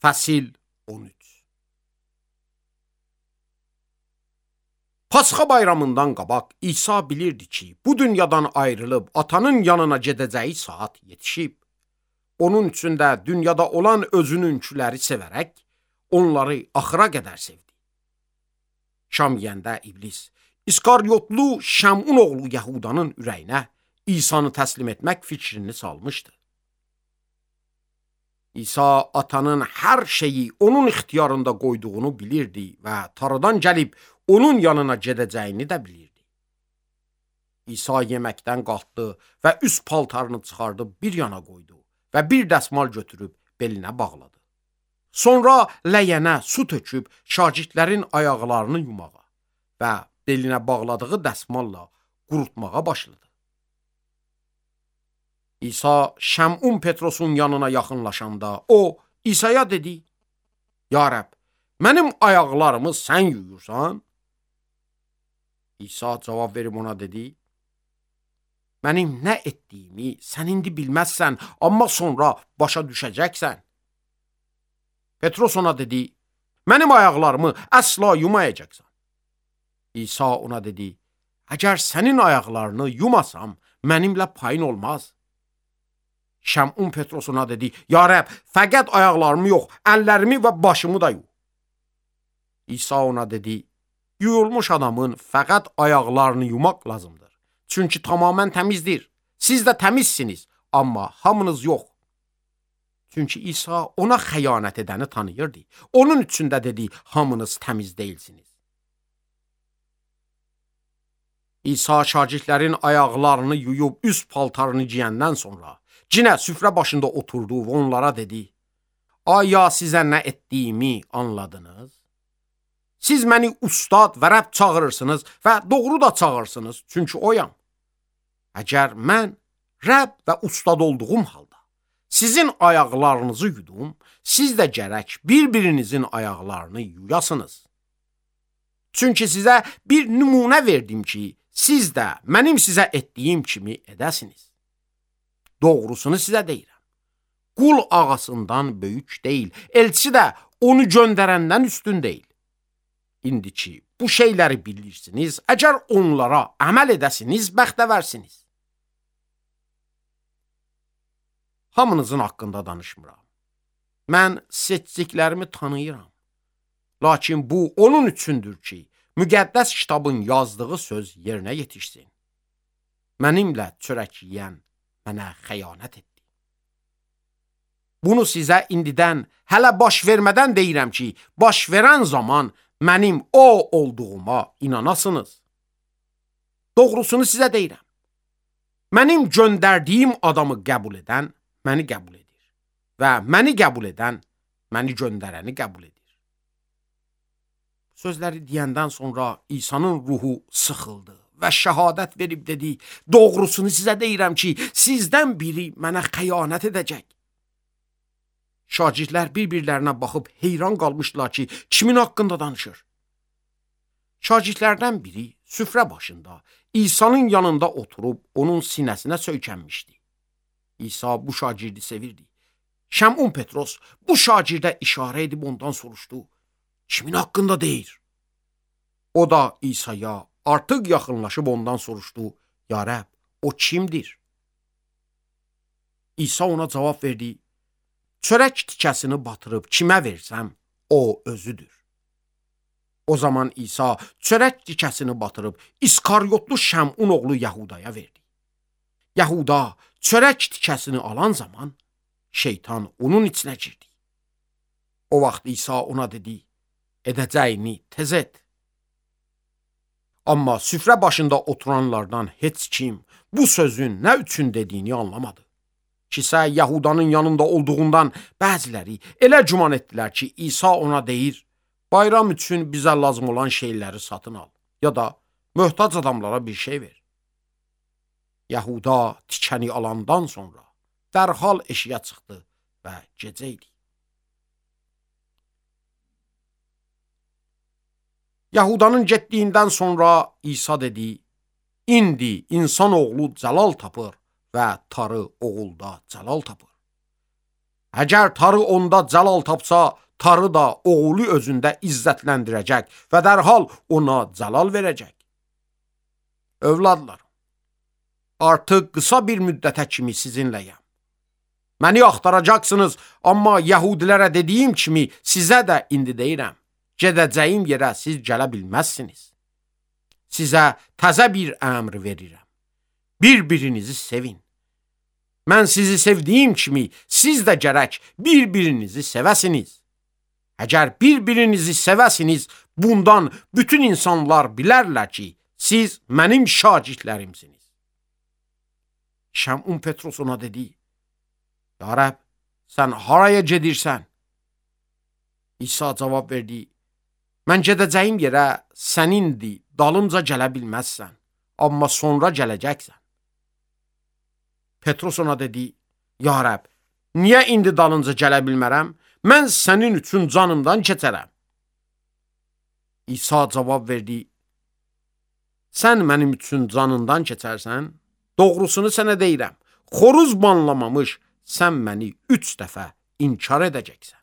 Fəsil 13. Pasxa bayramından qabaq İsa bilirdi ki, bu dünyadan ayrılıb atanın yanına gedəcəyi saat yetişib. Onun üçün də dünyada olan özününkiləri sevərək, onları axıra qədər sevdi. Şam yeyəndə iblis, İskaryotlu Şəmun oğlu Yahudanın ürəyinə İsanı təslim etmək fikrini salmışdı. İsa atanın hər şeyi onun ixtiyarında qoyduğunu bilirdi və tarıdan gəlib onun yanına gedəcəyini də bilirdi. İsa yeməkdən qalxdı və üst paltarını çıxardıb bir yana qoydu və bir dəsmal götürüb belinə bağladı. Sonra ləyənə su töküb şagirdlərin ayaqlarını yumağa və belinə bağladığı dəsmalla qurutmağa başladı. İsa Şəmun Petrosun yanına yaxınlaşanda o İsa'ya dedi: "Ya Rəbb, mənim ayaqlarımı sən yuyursan?" İsa cavab verib ona dedi: "Mənim nə etdiyimi sən indi bilməzsən, amma sonra başa düşəcəksən." Petros ona dedi: "Mənim ayaqlarımı əsla yumayacaqsan." İsa ona dedi: "Əgər sənin ayaqlarını yumasam, mənimlə payın olmaz." Şəmun Petros ona dedi: "Ya Rəbb, fəqət ayaqlarımı yox, əllərimi və başımı da yu." İsa ona dedi: "Yuyulmuş adamın fəqət ayaqlarını yumaq lazımdır. Çünki tamamən təmizdir. Siz də təmizsiniz, amma hamınız yox." Çünki İsa ona xəyanət edəni tanıyırdı. Onun üçün də dedi: "Hamınız təmiz deyilsiniz." İsa şagirdlərin ayaqlarını yuyub üst paltarını giyəndən sonra cinə süfrə başında oturdu və onlara dedi: "Aya sizə nə etdiyimi anladınız? Siz məni ustad və Rəbb çağırırsınız və doğru da çağırırsınız, çünki oyam. Əgər mən Rəbb və ustad olduğum halda sizin ayaqlarınızı yudum, siz də gərək bir-birinizin ayaqlarını yuyasınız. Çünki sizə bir nümunə verdim ki, siz də mənim sizə etdiyim kimi edəsiniz. Doğrusunu sizə deyirəm. Qul ağasından böyük deyil, elçi də onu göndərəndən üstün deyil. İndi ki, bu şeyləri bilirsiniz, əgər onlara əməl edəsiniz, bəxtəvərsiniz. Hamınızın haqqında danışmıram. Mən seçdiklərimi tanıyıram. Lakin bu onun üçündür ki, müqəddəs kitabın yazdığı söz yerinə yetişsin. Mənimlə çörək yeyən mənə xəyanət etdi. Bunu sizə indidən, hələ baş vermədən deyirəm ki, baş verən zaman mənim o olduğuma inanasınız. Doğrusunu sizə deyirəm. Mənim göndərdiyim adamı qəbul edən məni qəbul edir və məni qəbul edən məni göndərəni qəbul edir." Sözləri deyəndən sonra İsa'nın ruhu sıxıldı və şəhadət verib dedi: "Doğrusunu sizə deyirəm ki, sizdən biri mənə xəyanət edəcək." Şagirdlər bir-birlərinə baxıb heyran qalmışdılar ki, kimin haqqında danışır. Şagirdlərdən biri süfrə başında İsa'nın yanında oturub onun sinəsinə söykənmişdi. İsa bu şagirdi sevirdi. Şəmun Petros bu şagirdə işarə edib ondan soruşdu: "Kimin haqqında deyir?" O da İsa'ya artıq yaxınlaşıb ondan soruşdu: "Ya Rəbb, o kimdir?" İsa ona cavab verdi: "Çörək tikəsini batırıb kimə versəm, o özüdür." O zaman İsa çörək tikəsini batırıb İskaryotlu Şəmun oğlu Yahudaya verdi. Yahuda çörək tikəsini alan zaman şeytan onun içinə girdi. O vaxt İsa ona dedi: "Edəcəyini tez et." Amma süfrə başında oturanlardan heç kim bu sözün nə üçün dediyini anlamadı. Kisə Yahudanın yanında olduğundan bəziləri elə güman etdilər ki, İsa ona deyir: "Bayram üçün bizə lazım olan şeyləri satın al, ya da möhtac adamlara bir şey ver." Yahuda tikəni alandan sonra dərhal eşiyə çıxdı və gecə idi. Yahudanın getdiyindən sonra İsa dedi: "İndi insanoğlu cəlal tapır və tarı oğulda cəlal tapır. Əgər tarı onda cəlal tapsa, tarı da oğlu özündə izzətləndirəcək və dərhal ona cəlal verəcək. Övladlar, artıq qısa bir müddətə kimi sizinləyəm. Məni axtaracaqsınız, amma yəhudilərə dediyim kimi sizə də indi deyirəm. Gedəcəyim yerə siz gələ bilməzsiniz. Sizə təzə bir əmr verirəm. Bir-birinizi sevin. Mən sizi sevdiyim kimi siz də gərək bir-birinizi sevəsiniz. Əgər bir-birinizi sevəsiniz, bundan bütün insanlar bilərlər ki, siz mənim şagirdlərimsiniz. Şəmun Petros ona dedi, Ya Rəbb, sən haraya gedirsən? İsa cavab verdi, mən gedəcəyim yerə sənindir, dalımca gələ bilməzsən, amma sonra gələcəksən. Petros ona dedi, Ya Rəbb, niyə indi dalınca gələ bilmərəm? Mən sənin üçün canımdan keçərəm. İsa cavab verdi, sən mənim üçün canından keçərsən, doğrusunu sənə deyirəm, xoruz banlamamış sən məni 3 dəfə inkar edəcəksən.